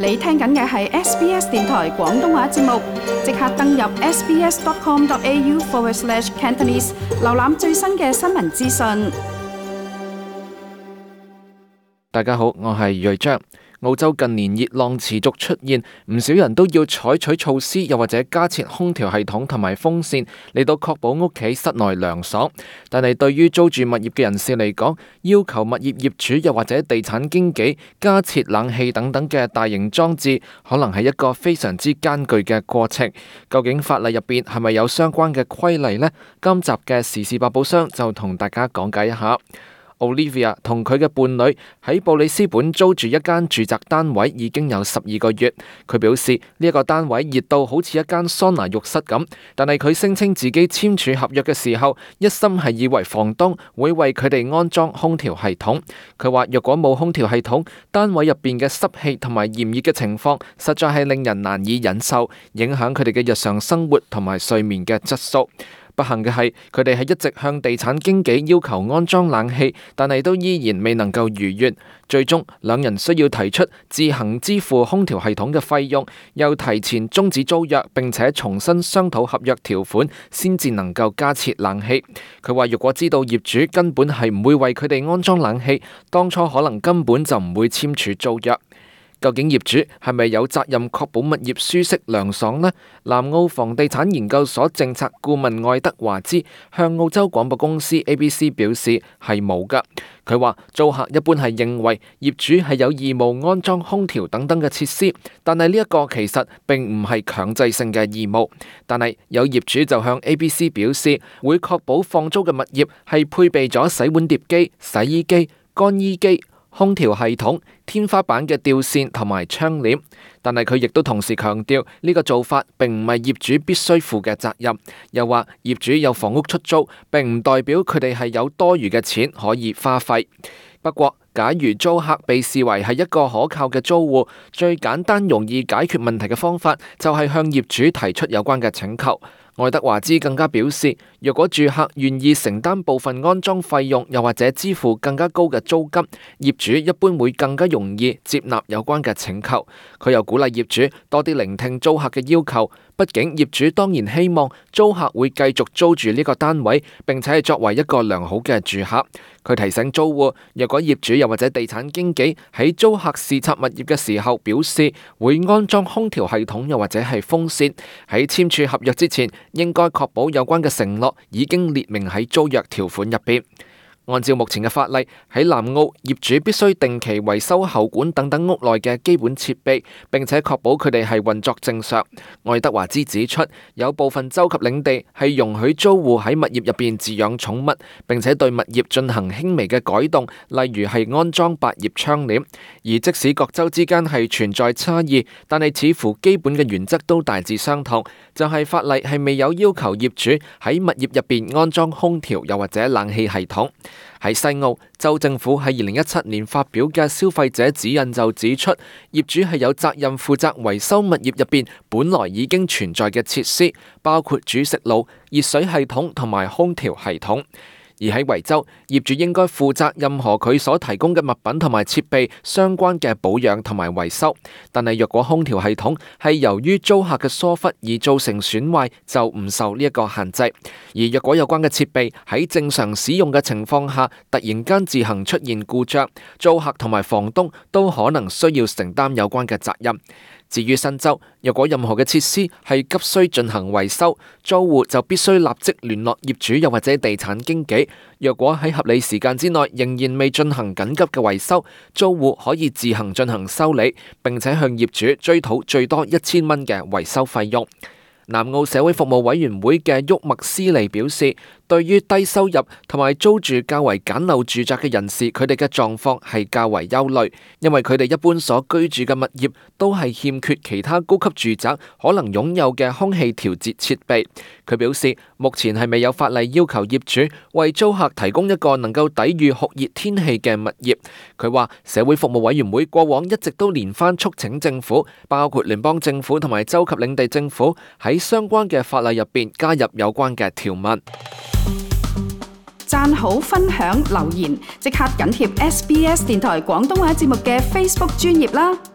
你聽緊嘅係 SBS 電台廣東話節目，即刻登入 sbs.com.au/Cantonese 瀏覽最新嘅新聞資訊。大家好，我係瑞章。澳洲近年熱浪持續出現，唔少人都要採取措施，又或者加設空調系統同埋風扇嚟到確保屋企室內涼爽。但係對於租住物業嘅人士嚟講，要求物業業主又或者地產經紀加設冷氣等等嘅大型裝置，可能係一個非常之艱巨嘅過程。究竟法例入邊係咪有相關嘅規例呢？今集嘅時事百寶箱就同大家講解一下。Olivia 同佢嘅伴侶喺布里斯本租住一間住宅單位已經有12個月。佢表示呢一個單位熱到好似一間桑拿浴室咁，但係佢聲稱自己簽署合約嘅時候，一心係以為房東會為佢哋安裝空調系統。佢話若果冇空調系統，單位入邊嘅濕氣同埋炎熱嘅情況實在係令人難以忍受，影響佢哋嘅日常生活同埋睡眠嘅質素。不幸嘅係，佢哋係一直向地產經紀要求安裝冷氣，但係都依然未能夠如願。最終，兩人需要提出自行支付空調系統嘅費用，又提前終止租約，並且重新商討合約條款，先至能夠加設冷氣。佢話：如果知道業主根本係唔會為佢哋安裝冷氣，當初可能根本就唔會簽署租約。究竟業主係咪有責任確保物業舒適涼爽呢？南澳房地產研究所政策顧問愛德華茲向澳洲廣播公司 ABC 表示係冇㗎。佢話租客一般係認為業主係有義務安裝空調等等嘅設施，但係呢一個其實並唔係強制性嘅義務。但係有業主就向 ABC 表示會確保放租嘅物業係配備咗洗碗碟機、洗衣機、乾衣機、空調系統、天花板嘅吊扇同埋窗簾，但係佢亦都同時強調呢個做法並唔係業主必須負嘅責任，又話業主有房屋出租，並唔代表佢哋係有多餘嘅錢可以花費。不過，假如租客被視為係一個可靠嘅租戶，最簡單容易解決問題嘅方法就係向業主提出有關嘅請求。愛德華茲更加表示，若果住客願意承擔部分安裝費用，又或者支付更加高嘅租金，業主一般會更加容易接納有關嘅請求。佢又鼓勵業主多啲聆聽租客嘅要求，畢竟業主當然希望租客會繼續租住呢個單位，並且係作為一個良好嘅住客。佢提醒租戶，若果業主又或者地產經紀喺租客視察物業嘅時候表示會安裝空調系統又或者係風扇，喺簽署合約之前，應該確保有關嘅承諾已經列明喺租約條款入邊。按照目前嘅法例，喺南澳業主必須定期維修喉管等等屋內嘅基本設備，並且確保佢哋係運作正常。愛德華茲指出，有部分州及領地係容許租戶喺物業入邊飼養寵物，並且對物業進行輕微嘅改動，例如係安裝百葉窗簾。而即使各州之間係存在差異，但係似乎基本嘅原則都大致相同，就係法例係未有要求業主喺物業入邊安裝空調又或者冷氣系統。喺西澳，州政府喺2017年發表嘅消費者指引就指出，業主係有責任負責維修物業入邊本來已經存在嘅設施，包括煮食爐、熱水系統同埋空調系統。而喺維州，業主應該負責任何佢所提供嘅物品同埋設備相關嘅保養同埋維修。但係若果空調系統係由於租客嘅疏忽而造成損壞，就唔受呢一個限制。而若果有關嘅設備喺正常使用嘅情況下，突然間自行出現故障，租客同埋房東都可能需要承擔有關嘅責任。至於新州，若果任何嘅設施係急需進行維修，租戶就必須立即聯絡業主又或者地產經紀。若果喺合理時間之內仍然未進行緊急嘅維修，租戶可以自行進行修理，並且向業主追討最多1000蚊嘅維修費用。南澳社會服務委員會嘅沃麥斯利表示，對於低收入同埋租住較為簡陋住宅嘅人士，佢哋嘅狀況係較為憂慮，因為佢哋一般所居住嘅物業都係欠缺其他高級住宅可能擁有嘅空氣調節設備。佢表示，目前係未有法例要求業主為租客提供一個能夠抵禦酷熱天氣嘅物業。佢話，社會服務委員會過往一直都連番促請政府，包括聯邦政府同埋州及領地政府喺相關嘅法例入邊加入有關嘅條文。讚好、分享、留言，即刻緊貼SBS 電台廣東話節目嘅 Facebook 專頁啦！